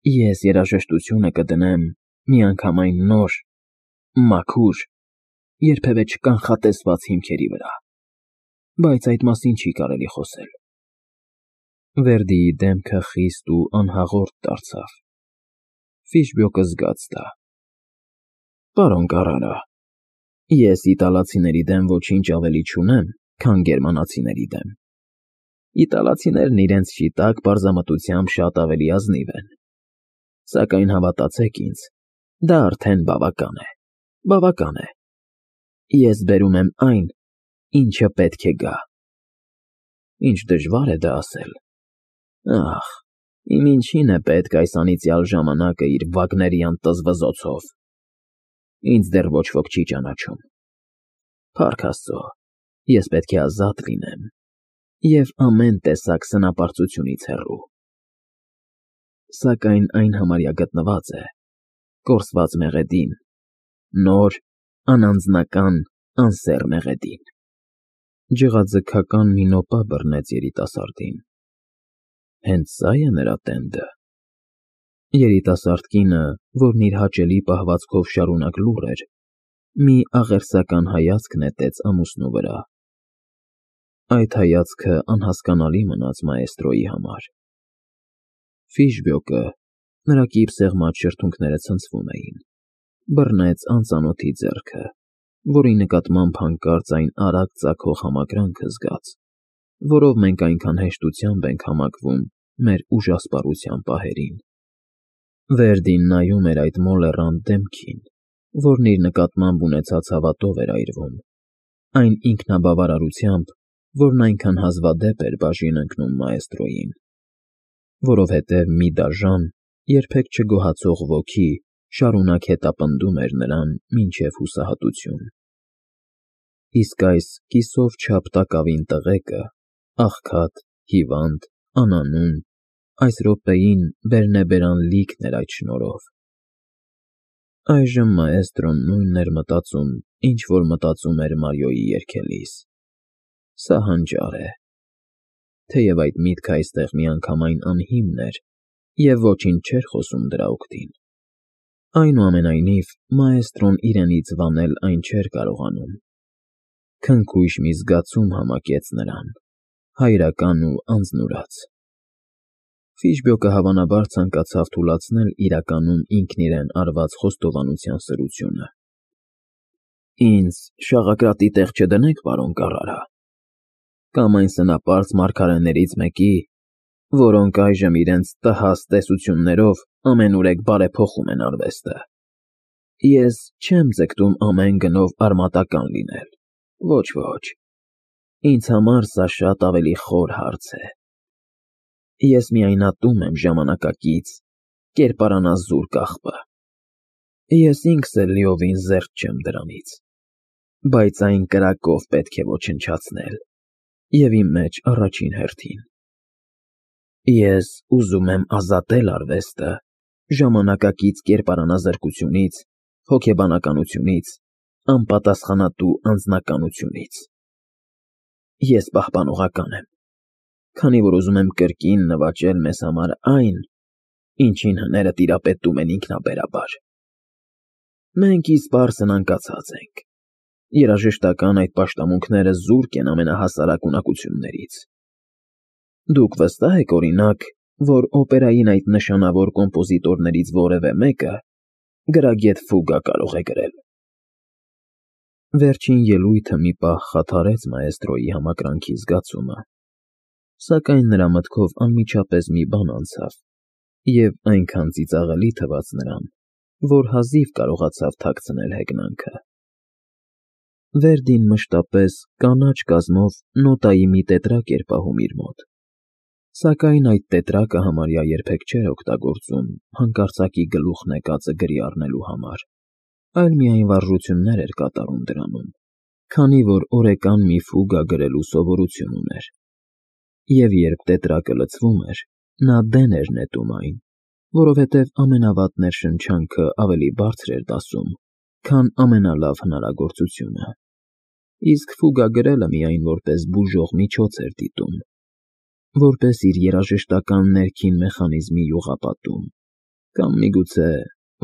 Ես երաժշտությունը կդնեմ միանգամայն նոր, մաքուր, երբևէ չկանխատեսված հիմքերի վրա, բայց այդ մասին չի կարելի խոսել։ Վերդիի դեմքը խիստ ու անհաղորդ դարձավ։ Ֆիշբոկը զգաց դա։ Պարոն Կարրարա, ես իտալացիների դեմ ոչինչ ավելի չունեմ, քան գերմանացիների դեմ։ Իտալացիներն իրենց շիտակ պարզամտությամբ շատ ավելի ազնիվ են։ Սակայն հավատացեք ինձ, դա արդեն բավական է, բավական է։ Ես բերում եմ այն, ինչը պետք է գա։ Ինչ դժվար է դա ասել։ Ախ, իմ ինչին է պետք այս անիծյալ ժամանակը իր վագներյան տզվզոցով։ Ինձ դեռ ոչ ոք չի ճանաչում։ Փառք Աստծո, ես պետք է ազատ լինեմ և ամեն տեսակ սնապարծությունից հեռու։ Սակայն այն համարյա գտնված է, կորսված մեղեդին, նոր, անանձնական, անսեռ մեղեդին։ Ջղաձգական մի նոպա բռնեց երիտասարդին։ Հենց սա՞ է նրա տենդը։ Երիտասարդ կինը, որն իր հաճելի պահվածքով շարունակ լուռ էր, մի աղերսական հայացք նետեց ամուսնու վրա։ Այդ հայացքը անհասկանալի մնաց մաեստրոյի համար։ Ֆիշբոկը, նրա կիպսեղմած շրթունքները ցնցվում էին, բռնեց անծանոթի ձեռքը, որի նկատմամբ հանկարծ այն արագ ծագող համակրանքը զգաց, որով մենք այնքան հեշտությամբ ենք համակվում մեր ուժասպառության պահերին։ Վերդին նայում էր այդ մոլեռանդ դեմքին, որն իր նկատմամբ ունեցած հավատով էր այրվում, այն ինքնաբավարարությամբ, որն այնքան հազվադեպ էր բաժին ընկնում մաեստրոյին, որովհետև մի դաժան, երբեք չգոհացող ոգի շարունակ հետապնդում էր նրան մինչև հուսահատություն։ Իսկ այս կիսով չափ տակավին տղեկը, աղքատ, հիվանդ, անանուն, այս րոպեին բերնեբերան լիքն էր այդ շնորհով։ Այժմ մաեստրոն նույնն էր մտածում, ինչ որ մտածում էր Մարիոյի երգելիս։ Սա հանճար է։ Թեև այդ միտքը այստեղ միանգամայն անհիմն էր և ոչինչ չէր խոսում դրա օգտին։ Այնուամենայնիվ, մաեստրոն իրենից վանել այն չէր կարողանում։ Քնքույշ մի զգացում համակեց նրան, հայրական ու անձնուրաց։ Ֆիշբոկը հավանաբար ցանկացավ թուլացնել իրականում ինքն իրեն արված խոստովանության սրությունը։ Ինձ շաղակրատի տեղ չդնեք, պարոն Կարրարա, կամ այն սնապարծ մարգարեներից մեկի, որոնք այժմ իրենց տհաս տեսություններով ամենուրեք բարեփոխում են արվեստը։ Ես չեմ ձգտում ամեն գնով արմատական լինել, ոչ, ինձ համար սա շատ ավելի խոր հարց է։ Ես միայն ատում եմ ժամանակակից, կերպարանազուր կաղբը։ Ես ինքս էլ լիովին զերծ չեմ դրանից, բայց այն կրակով պետք է ոչնչացնել, և իմ մեջ առաջին հերթին։ Ես ուզում եմ ազատել արվեստը ժամանակակից կերպարանազրկությունից, հոգեբանականությունից, անպատասխանատու անձնականությունից։ Ես պահպանողական եմ, քանի որ ուզում եմ կրկին նվաճել մեզ համար այն, ինչին հները տիրապետում են ինքնաբերաբար։ Մենք ի սպառս ընանկացած ենք։ Երաժշտական այդ պաշտամունքները զուրկ են ամենահասարակ ունակություններից։ Դուք վստահ եք, օրինակ, որ օպերային այդ նշանավոր կոմպոզիտորներից որևէ մեկը գրագետ ֆուգա կարող է գրել։ Վերջին ելույթը մի պահ խաթարեց մաեստրոյի համակրանքի զգացումը, սակայն նրա մտքով անմիջապես մի բան անցավ, և այնքան ծիծաղելի թվաց նրան, որ հազիվ կարողացավ թաքցնել հեգնանքը։ Վերդին մշտապես կանաչ կազմով նոտայի մի տետրակ էր պահում իր մոտ, սակայն այդ տետրակը համարյա երբեք չէր օգտագործում հանկարծակի գլուխն եկածը գրի առնելու համար, այլ միայն վարժություններ էր կատարում դրանում, քանի որ օրեկան մի ֆուգա գրելու սովորություն ուներ։ Եվ երբ տետրակը լցվում էր, նա դեն էր նետում այն, որովհետև ամենավատ ներշնչանքը ավելի բարձր էր դասում, քան ամենալավ հնարագործությունը, իսկ ֆուգա գրելը միայն որպես բուժող միջոց էր դիտում, որպես իր երաժշտական ներքին մեխանիզմի յուղապատում, Կամ միգուցե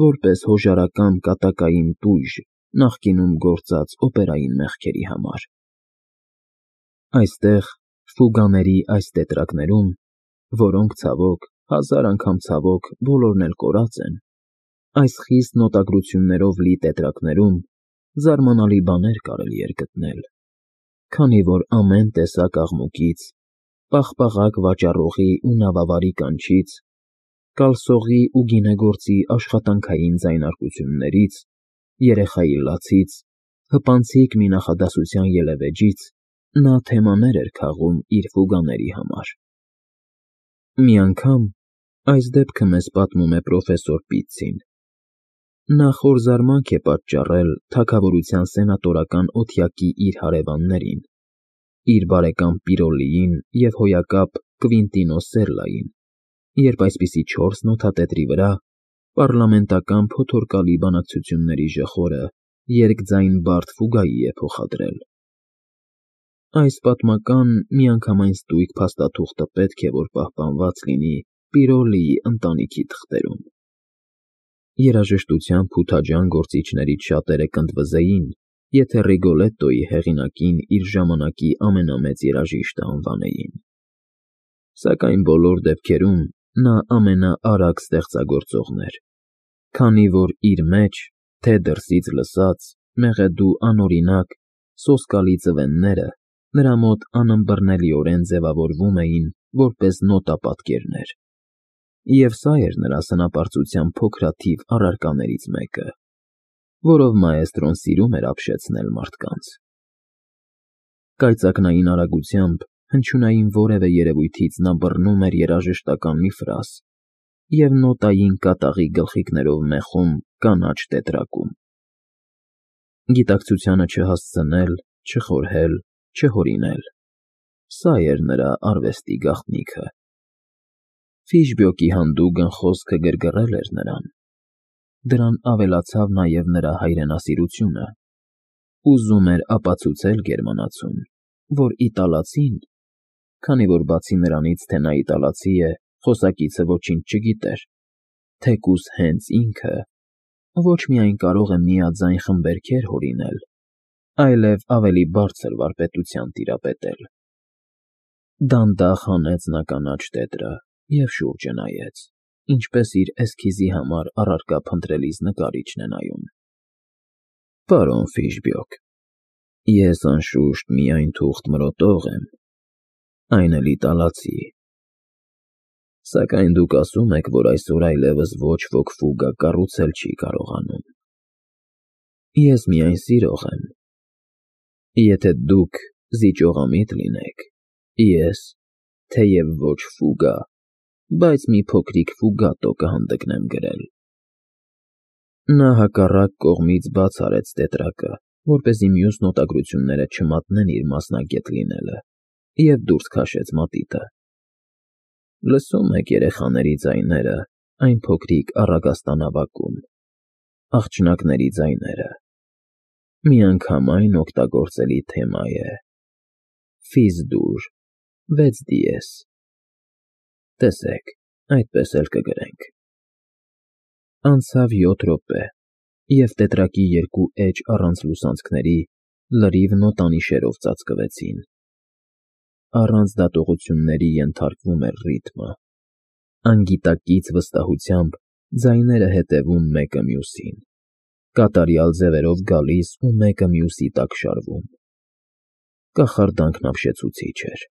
որպես հոժարակամ կատակային տույժ նախկինում գործած օպերային մեղքերի համար։ Այստեղ, ֆուգաների այս տետրակներում, որոնք ցավոք, հազար անգամ ցավոք, բոլորն էլ կորած են, այս խիստ նոտագրություններով լի տետրակներում զարմանալի բաներ կարելի էր գտնել, քանի որ ամեն տեսակ աղմուկից, պաղպաղակ վաճառողի ու նավավարի կանչից, կալսողի ու գինեգործի աշխատանքային ձայնարկություններից, երեխայի լացից, հպանցիկ մի նախադասության ելևէջից նա թեմաներ էր քաղում իր ֆուգաների համար։ Մի անգամ, այս դեպքը մեզ պատմում է պրոֆեսոր Պիցցին, նա խոր զարմանք է պատճառել թագավորության սենատորական օթյակի իր հարևաններին, իր բարեկամ Պիրոլիին և հոյակապ Կվինտինո Սերլային, երբ այսպիսի 4 նոթատետրի վրա պառլամենտական փոթորկալի բանակցությունների ժխորը երկձայն բարդ ֆուգայի է փոխադրել։ Այս պատմական միանգամայն ստույգ փաստաթուղթը պետք է որ պահպանված լինի Պիրոլիի ընտանիքի թղթերում։ Երաժշտության փութաջան գործիչներից շատերը կընդվզեին, եթե Ռիգոլետտոյի հեղինակին իր ժամանակի ամենամեծ երաժիշտը անվանեին։ Սակայն բոլոր դեպքերում նա ամենաարագ ստեղծագործողն էր, քանի որ իր մեջ, թե դրսից լսած, մեղեդու անօրինակ, սոսկալի ձվենները նրա մոտ անըմբռնելիորեն ձևավորվում էին որպես նոտապատկերներ, և սա էր նրա սնապարծության փոքրաթիվ առարկաներից մեկը, որով մաեստրոն սիրում էր ապշեցնել մարդկանց։ Կայծակնային արագությամբ հնչյունային որևէ երևույթից նա բռնում էր երաժշտական մի ֆրազ և նոտային կատաղի գլխիկներով մեխում կանաչ տետրակում։ Գիտակցությանը չհասցնել, չխորհել, չհորինել, սա էր նրա արվեստի գաղտնիքը։ Ֆիշբոկի հանդուգն խոսքը գրգռել էր նրան, դրան ավելացավ նաև նրա հայրենասիրությունը, ուզում էր ապացուցել գերմանացուն, որ իտալացին, քանի որ բացի նրանից, թե նա իտալացի է, խոսակիցը ոչինչ չգիտեր, թեկուզ հենց ինքը ոչ միայն կարող է միաձայն խմբերգեր հորինել, այլև ավելի բարձր վարպետության տիրապետել։ Դանդաղ հանեց նա կանաչ տետրը և շուրջը նայեց, ինչպես իր էսքիզի համար առարկա փնտրելիս նկարիչն է նայում։ Պարոն Ֆիշբոկ, ես անշուշտ միայն թուղթ մրոտող եմ, այն էլ իտալացի, սակայն դուք ասում եք, որ այսօր այլևս ոչ ոք ֆուգա կառուցել չի կարողանում։ Ես միայն սիրող եմ։ Եթե դուք զիջողամիտ լինեք, ես, թեև ոչ ֆուգա, բայց մի փոքրիկ ֆուգատո կհանդգնեմ գրել։ Նա հակառակ կողմից բաց արեց տետրակը, որպեսզի մյուս նոտագրությունները չմատնեն իր մասնագետ լինելը, և դուրս քաշեց մատիտը։ Լսում եք երեխաների ձայները այն փոքրիկ առագաստանավակում, աղջնակների ձայները, միանգամայն օգտագործելի թեմա է, Ֆիզ֊դուր, 6 դիեզ, տեսեք, այդպես էլ կգրենք։ Անցավ 7 րոպե, և տետրակի երկու էջ առանց լուսանցքների լրիվ նոտանիշերով ծածկվեցին։ Առանց դատողությունների ենթարկվում էր ռիթմը, անգիտակից վստահությամբ ձայները հետևում մեկը մյուսին, կատարյալ ձևերով գալիս ու մեկը մյուսի տակ շարվում։ Կախարդանքն ապշեցուցիչ էր։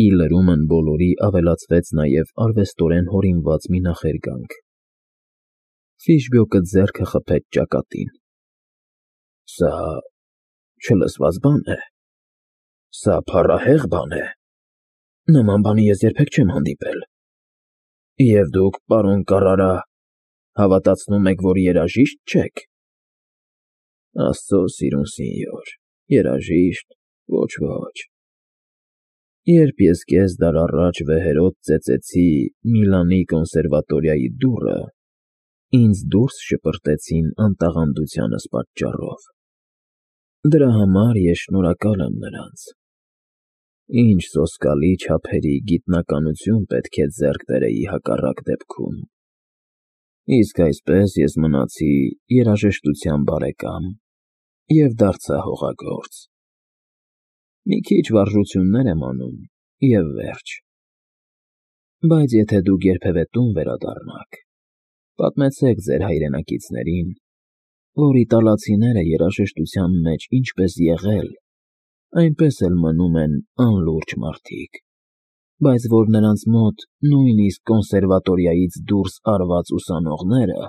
Ի լրումն բոլորի ավելացվեց նաև արվեստորեն հորինված մի նախերգանք։ Ֆիշբոկը ձեռքը խփեց ճակատին։ Սա չլսված բան է, սա փառահեղ բան է, նման բանի ես երբեք չեմ հանդիպել։ Եվ դուք, պարոն Կարրարա, հավատացնում եք, որ երաժիշտ չեք։ Աստծո սիրուն սինյոր, երաժիշտ, ոչ։ Երբ ես կես դար առաջ վեհերոտ ծեծեցի Միլանի կոնսերվատորիայի դուռը, ինձ դուրս շպրտեցին անտաղանդությանս պատճառով։ Դրա համար ես շնորհակալ եմ նրանց։ Ինչ սոսկալի չափերի գիտնականություն պետք է ձեռք բերեի հակառակ դեպքում։ Իսկ այսպես ես մնացի երաժշտության բարեկամ և դարձա հողագործ։ Մի քիչ վարժություններ եմ անում և վերջ։ Բայց եթե դուք երբևէ տուն վերադառնաք, պատմեցեք ձեր հայրենակիցներին, որ իտալացիները երաժշտության մեջ ինչպես եղել, այնպես էլ մնում են անլուրջ մարդիկ, բայց որ նրանց մոտ նույնիսկ կոնսերվատորիայից դուրս արված ուսանողները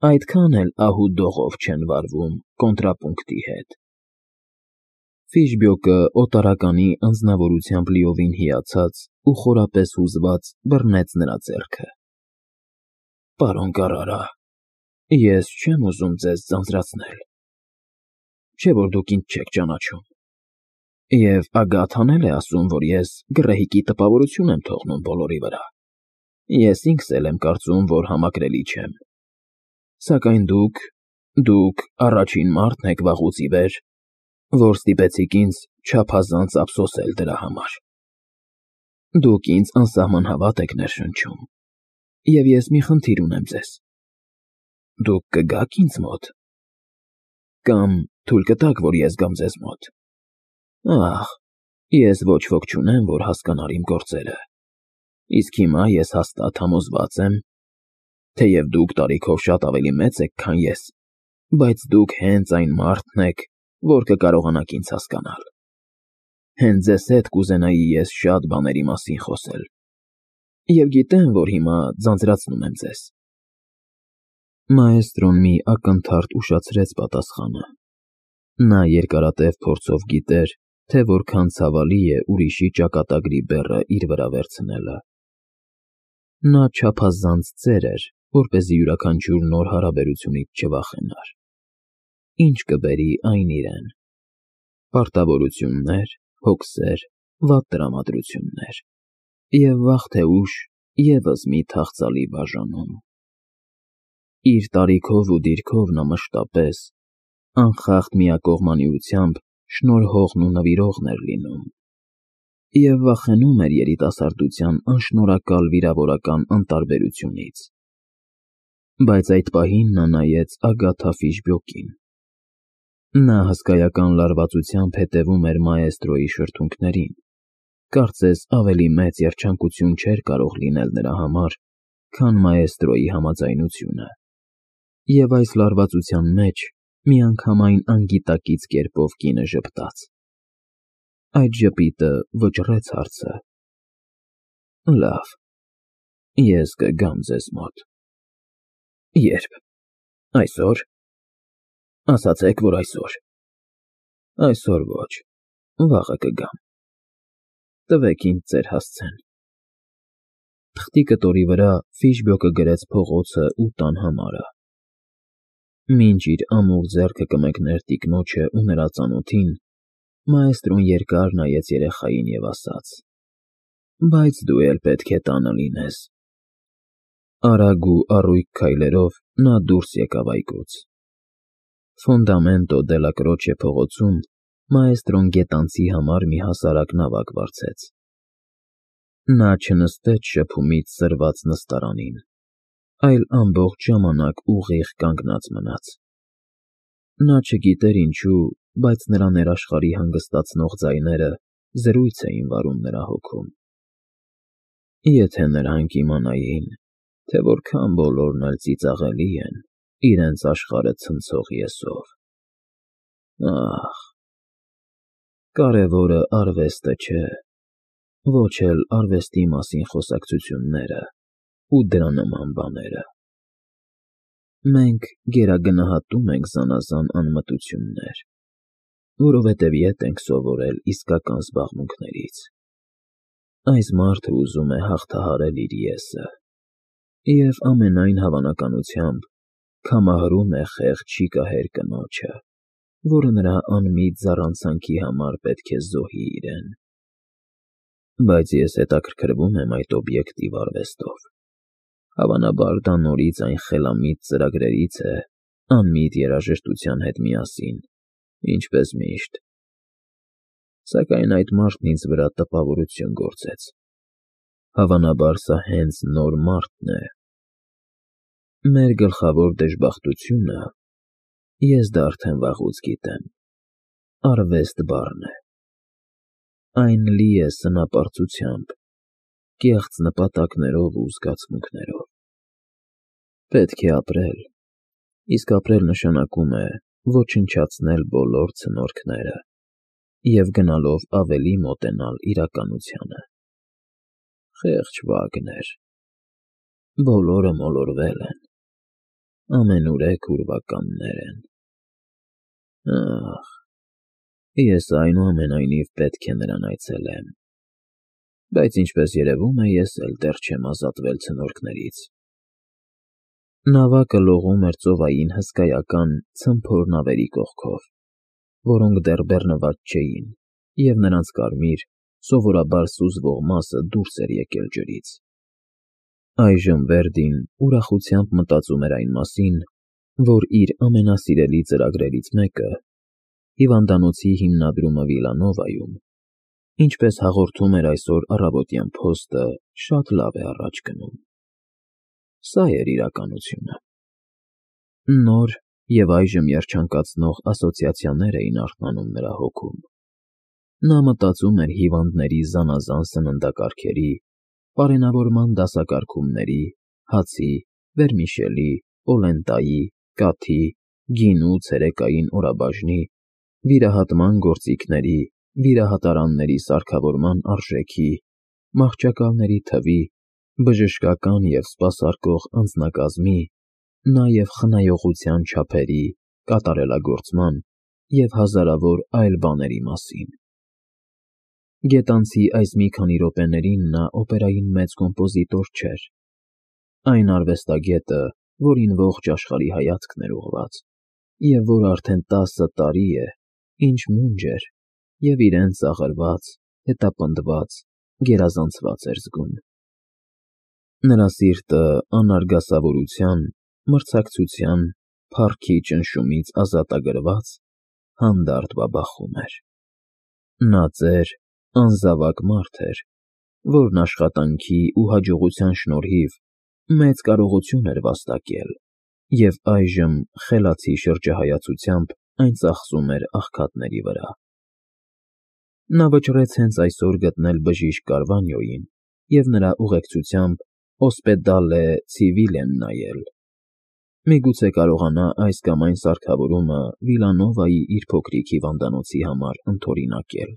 այդքան էլ ահու-դողով չեն վարվում կոնտրապունկտի հետ։ Ֆիշբյոկը օտարականի անձնավորությամբ լիովին հիացած ու խորապես հուզված բռնեց նրա ձեռքը։ Պարոն Կարրարա, ես չեմ ուզում ձեզ ձանձրացնել, չէ՞ որ դուք ինձ չեք ճանաչում, և Ագաթան էլ է ասում, որ ես գռեհիկի տպավորություն եմ թողնում բոլորի վրա։ Ես ինքս էլ եմ կարծում, որ համակրելի չեմ։ Սակայն դուք առաջին մարդն եք վաղուց ի վեր, որ ստիպեցիք ինձ չափազանց ափսոսել դրա համար։ Դուք ինձ անսահման հավատ եք ներշնչում, և ես մի խնդիր ունեմ ձեզ. դուք կգա՞ք ինձ մոտ, կամ թույլ կտաք, որ ես գամ ձեզ մոտ։ Ախ, ես ոչ ոք չունեմ, որ հասկանար իմ գործերը, իսկ հիմա ես հաստատ համոզված եմ, թեև դուք տարիքով շատ ավելի մեծ եք, քան ես, բայց դուք հենց այն մարդն եք, որ կկարողանաք ինձ հասկանալ։ Հենց ձեզ հետ կուզենայի ես շատ բաների մասին խոսել, և գիտեմ, որ հիմա ձանձրացնում եմ ձեզ։ Մաեստրոն մի ակնթարթ ուշացրեց պատասխանը։ Նա երկարատև փորձով գիտեր, թե որքան ցավալի է ուրիշի ճակատագրի բեռը իր վրա վերցնելը։ Նա չափազանց ծեր էր, որպեսզի յուրաքանչյուր նոր հարաբերությունից չվախենար։ Ինչ կբերի այն իրեն. պարտավորություններ, հոգսեր, վատ տրամադրություններ, և վաղ թե ուշ ևս մի թախծալի բաժանում։ Իր տարիքով ու դիրքով նա մշտապես, անխախտ միակողմանիությամբ շնորհողն ու նվիրողն էր լինում, և վախենում էր երիտասարդության անշնորհակալ վիրավորական անտարբերությունից։ Բայց այդ պահին նա նայեց Ագաթա Ֆիշբյոկին։ Նա հսկայական լարվածությամբ հետևում էր մաեստրոյի շրթունքներին, կարծես ավելի մեծ երջանկություն չէր կարող լինել նրա համար, քան մաեստրոյի համաձայնությունը, և այս լարվածության մեջ միանգամայն անգիտակից կերպով կինը ժպտաց։ Այդ ժպիտը վճռեց հարցը. Լավ, ես կգամ ձեզ մոտ։ Ե՞րբ։ Այսօր։ Ասացեք, որ այսօր։ Այսօր ոչ, վաղը կգամ։ Տվեք ինձ ձեր հասցեն։ Թղթի կտորի վրա Ֆիշբյոկը գրեց փողոցը ու տան համարը։ Մինչ իր ամուր ձեռքը կմեկներ տիկնոջը ու նրա ծանոթին, մաեստրոն երկար նայեց երեխային և ասաց. Բայց դու էլ պետք է տանը լինես։ Արագ ու առույգ քայլերով նա դուրս եկավ այգուց։ Ֆոնդամենտո դելա Կրոչե փողոցում մաեստրոն գետանցի համար մի հասարակ նավակ վարձեց։ Նա չնստեց շփումից սրված նստարանին, այլ ամբողջ ժամանակ ուղիղ կանգնած մնաց։ Նա չգիտեր ինչու, բայց նրա ներաշխարհի հանգստացնող ձայները զրույց էին վարում նրա հոգում։ Եթե նրանք իմանային, թե որքան բոլորն էլ ծիծաղելի են իրենց աշխարհը ցնցող ես֊ով։ Ախ, կարևորը արվեստը չէ, ոչ էլ արվեստի մասին խոսակցությունները ու դրա նման բաները։ Մենք գերագնահատում ենք զանազան անմտություններ, որովհետև ետ ենք սովորել իսկական զբաղմունքներից։ Այս մարդը ուզում է հաղթահարել իր ես֊ը և ամենայն հավանականությամբ քամահրում է խեղճ շիկահեր կնոջը, որը նրա անմիտ զառանցանքի համար պետք է զոհի իրեն։ Բայց ես հետաքրքրվում եմ այդ օբյեկտիվ արվեստով։ Հավանաբար դա նորից այն խելամիտ ծրագրերից է, անմիտ երաժշտության հետ միասին, ինչպես միշտ։ Սակայն այդ մարդն ինձ վրա տպավորություն գործեց։ Հավանաբար սա հենց նոր մարդն է, Մեր գլխավոր դժբախտությունը, ես դա արդեն վաղուց գիտեմ, արվեստ բառն է։ Այն լի է սնապարծությամբ, կեղծ նպատակներով ու զգացմունքներով։ Պետք է ապրել, իսկ ապրել նշանակում է ոչնչացնել բոլոր ցնորքները և գնալով ավելի մոտենալ իրականությանը։ Խեղճ Վագներ, բոլորը մոլորվել են, ամենուրեք ուրվականներ են։ Ախ, ես այնուամենայնիվ պետք է նրան այցելեմ, բայց ինչպես երևում է, ես էլ դեռ չեմ ազատվել ցնորքներից։ Նավակը լողում էր ծովային հսկայական ցմփոր նավերի կողքով, որոնք դեռ բեռնված չէին, և նրանց կարմիր, սովորաբար սուզվող մասը դուրս էր եկել ջրից։ Այժմ Վերդին ուրախությամբ մտածում էր այն մասին, որ իր ամենասիրելի ծրագրերից մեկը՝ հիվանդանոցի հիմնադրումը Վիլանովայում, ինչպես հաղորդում էր այսօր առավոտյան փոստը, շատ լավ է առաջ գնում։ Սա էր իրականությունը։ Նոր և այժմ երջանկացնող ասոցիացիաներ էին արթնանում նրա հոգում։ Նա մտածում էր հիվանդների զանազան սննդակարգերի, պարենավորման դասակարգումների, հացի, վերմիշելի, պոլենտայի, կաթի, գինու ցերեկային օրաբաժնի, վիրահատման գործիքների, վիրահատարանների սարքավորման արժեքի, մահճակալների թվի, բժշկական և սպասարկող անձնակազմի, նաև խնայողության չափերի, կատարելագործման և հազարավոր այլ բաների մասին։ Գետանցի այս մի քանի րոպեներին նա օպերային մեծ կոմպոզիտոր չէր, այն արվեստագետը, որին ողջ աշխարհի հայացքն էր ուղղված, և որ արդեն 10 տարի է, ինչ մունջ էր և իրեն ծաղրված, հետապնդված, գերազանցված էր զգում։ Նրա սիրտը անարգասավորության, մրցակցության, փառքի ճնշումից ազատագրված, հանդարտ բաբախում էր։ Նա ծեր, անզավակ մարդ էր, որն աշխատանքի ու հաջողության շնորհիվ մեծ կարողություն էր վաստակել և այժմ խելացի շրջահայացությամբ այն ծախսում էր աղքատների վրա։ Նա վճռեց հենց այսօր գտնել բժիշկ Կարվանյոյին և նրա ուղեկցությամբ Օսպեդալե Ցիվիլեն նայել։ Միգուցե կարողանա այս կամ այն սարքավորումը Վիլանովայի իր փոքրիկ հիվանդանոցի համար ընդօրինակել։